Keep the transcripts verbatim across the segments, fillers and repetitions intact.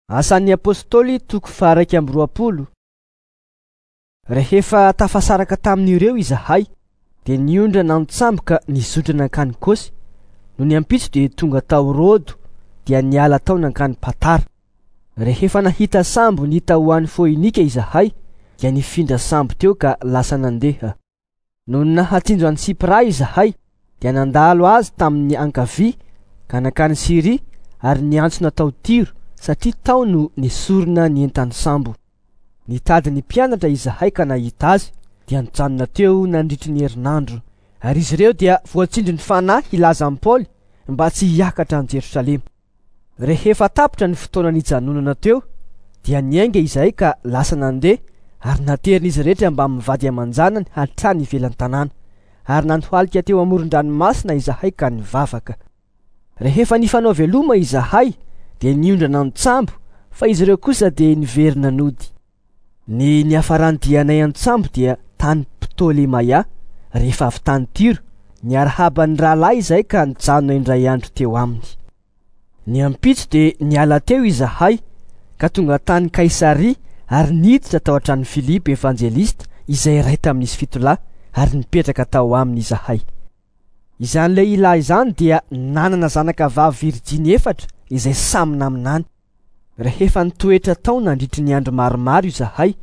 Asan'ny Apôstôly toko faha-iraika amby roapolo. Rehefa tafasaraka tamin'ireo izahay, dia niondrana an-tsambo ka nizotra nankany Kosy. Nony ampitso dia tonga tao Rôdo, dia niala tao nankany Patara. Rehefa nahita sambo nita ho any Foinika izahay, dia nifindra sambo teo ka lasa nandeha. Nony nahatsinjo an'i Sipra izahay, dia nandalo azy tamin'ny ankavia ka nankany Syria ary niantsona tao Tiro, satria tao no nesorina ny entan'ny sambo. Nitady ny mpianatra izahay ka nahita azy, dia nijanona teo nandritry ny herinandro. Ary izy ireo dia voatsindrin'ny fanahy hilaza amin'i Paoly mba tsy hiakatra any Jerosalema. Rehefa tapitra ny fotoana nijanonana teo, dia niainga izahay ka lasa nandeha ary naterin'izy rehetra mbamin'ny vady aman-janany hatrany ivelan'ny tanàna. Ary nandohalika teo amoron-dranomasina izahay ka nivavaka. Rehefa nifanao veloma izahay, dia niondrana an-tsambo, fa izy ireo kosa dia niverina nody. Ny niafaran'ny dianay an-tsambo dia tany Ptolemaia, rehefa avy tany Tyro, niarahaba ny rahalahy izahay ka nijanona indray andro teo aminy. Ny ampitso dia niala teo izahay ka tonga tany Kaisaria ary niditra tao an-tranon'i Filipo evanjelista izay iray tamin'izy fito lahy ary nipetraka tao aminy izahay. Izany lehilahy izany dia nanana zanaka vavy virjiny efatra izay samy naminany. Rehefa nitoetra tao nandritry ny andro maromaro izahay,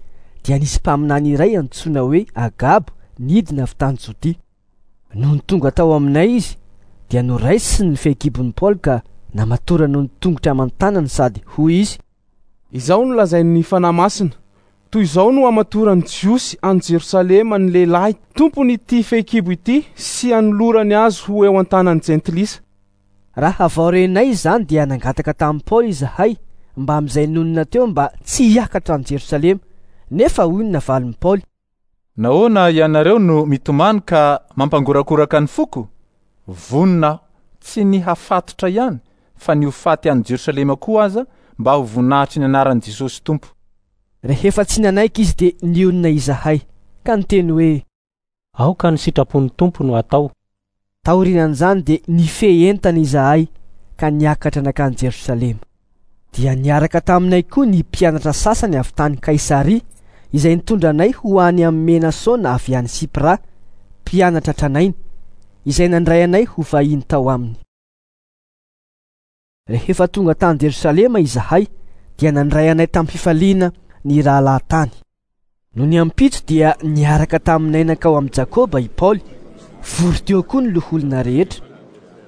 dia nisy mpaminany iray antsoina hoe Agabo nidina avy tany Jodia. Nony tonga tao aminay izy, dia noraisiny ny fehikibon'i Paoly ka namatorany ny tongotra aman-tanany sady hoy izy: Izao no lazain'ny Fanahy Masina, toy izao no hamatoran'ny Jiosy any Jerosalema ny lehilahy tompon'ity fehikibo ity sy hanolorany azy ho eo an-tanan'ny jentilisa. Raha vao renay izany dia nangataka tamin'i Paoly izahay mba amin'izay nonina teo mba tsy hiakatra any Jerosalema, nefa hoy ny navalin'i Paoly: Nahoana ianareo no mitomany ka mampangorakoraka ny foko? Vonona aho, tsy ny hafatotra ihany, fa ny ho faty any Jerosalema koa aza mba ho voninahitry ny anaran'i Jesosy Tompo. Rehefa tsy nanaiky izy dia nionona izahay ka niteny hoe: Aoka ny sitrapon'ny Tompo no atao. Taorian'izany dia nifehy entana izahay ka niakatra nankany Jerosalema. Dia niaraka taminay koa ny mpianatra sasany avy tany Kaisaria izay nitondra anay ho any amin'ny Menasona avy any Sipra, mpianatra tranainy, izay nandray anay ho vahiny tao aminy. Rehefa tonga tany Jerosalema izahay, dia nandray anay tamin'ny fifaliana ny rahalahy tany. Nony ampitso dia niaraka taminay nankao amin'i Jakoba i Paoly. Vory teo koa ny loholona rehetra.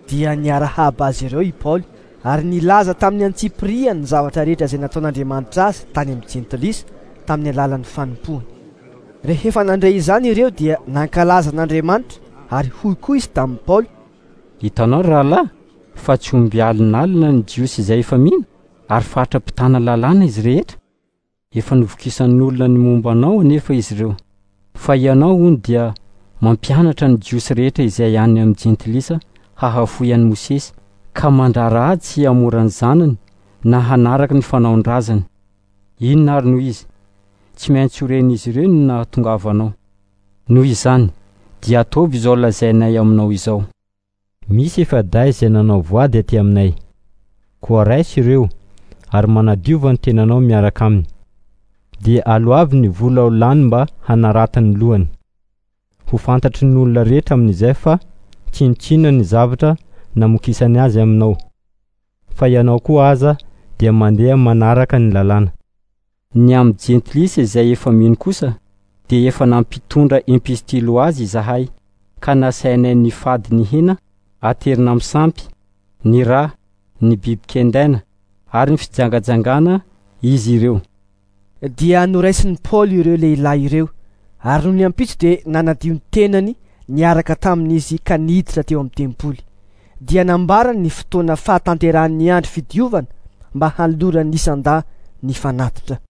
Dia niarahaba azy ireo i Paoly ary nilaza tamin'ny antsipiriany ny zavatra rehetra izay nataon'Andriamanitra azy tany amin'ny jentilisa tamin'ny alalan'ny fanompoany. Rehefa nandray izany ireo dia nankalaza an'Andriamanitra ary hoy koa izy tamin'i Paoly: Hitanao rahalahy fa tsy omby alinalina ny Jiosy izay efa mino ary faritra mpitana lalàna izy rehetra. Efa novokisan'olona ny momba anao anefa izy ireo. Fa ianao hono dia mampianatra ny Jiosy rehetra izay any amin'ny jentilisa hahafoy an'i Mosesy ka mandrara azy tsy hamora ny zanany na hanaraka ny fanaon-drazany. Inona ary no izy? Tsy maintsy ho ren'izy ireo ny nahatongavanao. Noho izany, dia ataovy izao lazainay aminao izao. Misy efa-dahy izay nanao voady aty aminay. Koa raiso ireo ary manadiova ny tenanao miaraka aminy. Dia aloavy ny vola ho lany mba hanaratany ny lohany. Ho fantatry ny olona rehetra amin'izay fa tsinontsinona ny zavatra namokisany azy aminao. Fa ianao koa aza dia mandeha manaraka ny lalàna. Ny amin'ny jentilisa izay efa mino kosa dia efa nampitondra epistily ho azy izahay ka nasainay nifady ny hena aterina amin'ny sampy, ny rà, ny biby kendaina ary ny fijangajangana izy ireo. Dia noraisin'i Paoly ireo lehilahy ireo ary nony ampitso dia nanadio ny tenany niaraka tamin'izy ka niditra teo amin'ny tempoly. Dia nambarany ny fotoana fahatanterahan'ny andro fidiovana mba hanoloran'ny isan-dahy ny fanatitra.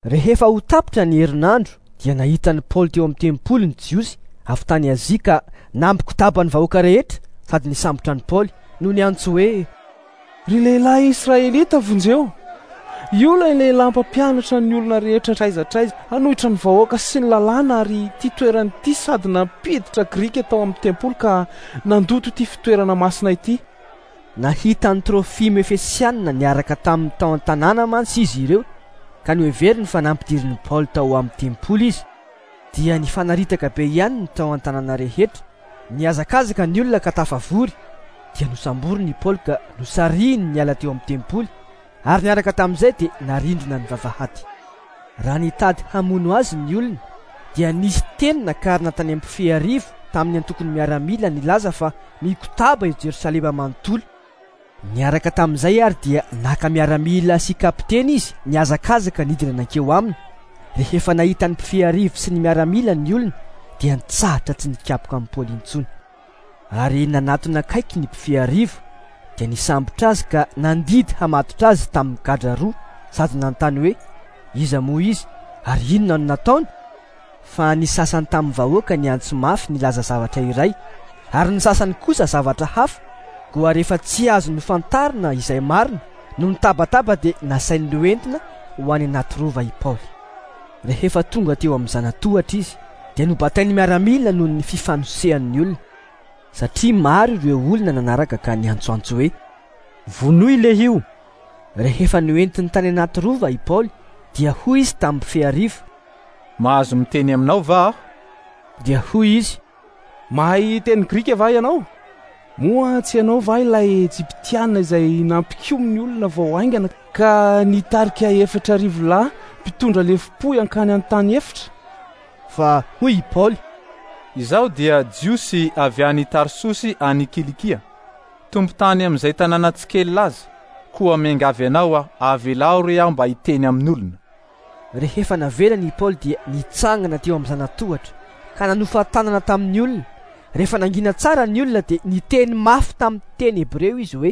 Rehefa ho tapitra ny herinandro dia nahita an'i Paoly teo amin'ny tempoly ny Jiosy avy tany Azia ka nampikotaba ny vahoaka rehetra sady nisambotra an'i Paoly no niantso hoe: Ry lehilahy Israelita, vonjeo! Io ilay lehilahy mpampianatra ny olona rehetra hatraiza hatraiza hanohitra ny vahoaka sy ny lalàna ary ity toerana ity sady nampiditra Grika tao amin'ny tempoly ka nandoto ity fitoerana masina ity. Nahita an'i Trofimo Efesianina niaraka taminy tao an-tanàna mantsy izy ireo, ka noheveriny fa nampidirin'i Paoly tao amin'ny tempoly izy. Dia nifanaritaka be ihany ny tao an-tanàna rehetra. Nihazakazaka ny olona ka tafavory. Dia nosamboriny i Paoly ka nosarihiny niala teo amin'ny tempoly, ary niaraka tamin'izay dia narindrina ny vavahady. Raha nitady hamono azy ny olona, dia nisy teny nakarina tany amin'ny mpifehy arivo tamin'ny antokon'ny miaramila nilaza fa mikotaba i Jerosalema manontolo. Niaraka tamin'izay ary dia naka miaramila sy kapiteny izy nihazakazaka nidina nankeo aminy. Rehefa nahita ny mpifehy arivo sy ny miaramila ny olona, dia nitsahatra tsy nikapoka amin'i Paoly intsony. Ary nanatona akaiky ny mpifehy arivo, dia nisambotra azy ka nandidy hamatotra azy tamin'ny gadra roa, sady nanontany hoe iza moa izy ary inona no nataony. Fa ny sasany tamin'ny vahoaka niantso mafy nilaza zavatra iray, ary ny sasany kosa zavatra hafa. Koa rehefa tsy azo nofantarina izay marina, no nitabataba dia nasainy noentina ho any anaty rova i Paoly. Rehefa tonga teo amin'ny zanatohatra izy, dia nobatain'ny miaramila noho ny fifanosehan'ny olona, satria maro ireo olona nanaraka ka niantsoantso hoe vonoy lehio. Rehefa noentiny tany anaty rova i Paoly, dia hoy izy tamin'ny mpifehy arivo, mahazo miteny aminao va aho? Dia hoy izy, mahay teny grika va ianao? Moa tsy ianao va ilay Ejiptiana izay nampikomy ny olona vao haingana ka nitarika efatra arivo lahy mpitondra lefom-pohy hankany an-tany efitra? Fa hoy i Paoly, izaho dia Jiosy avy any Tarsosy any Kilikia, tompon-tany amin'izay tanàna tsy kely laza. Koa miangavy anao aho, avelao re aho mba hiteny amin'olona. Rehefa navelany i Paoly dia nitsangana teo amin'ny zanatohatra ka nanofa tanana tamin'ny olona. Rehefa nangina tsara ny olona dia niteny mafy tamin'ny teny hebreo izy hoe: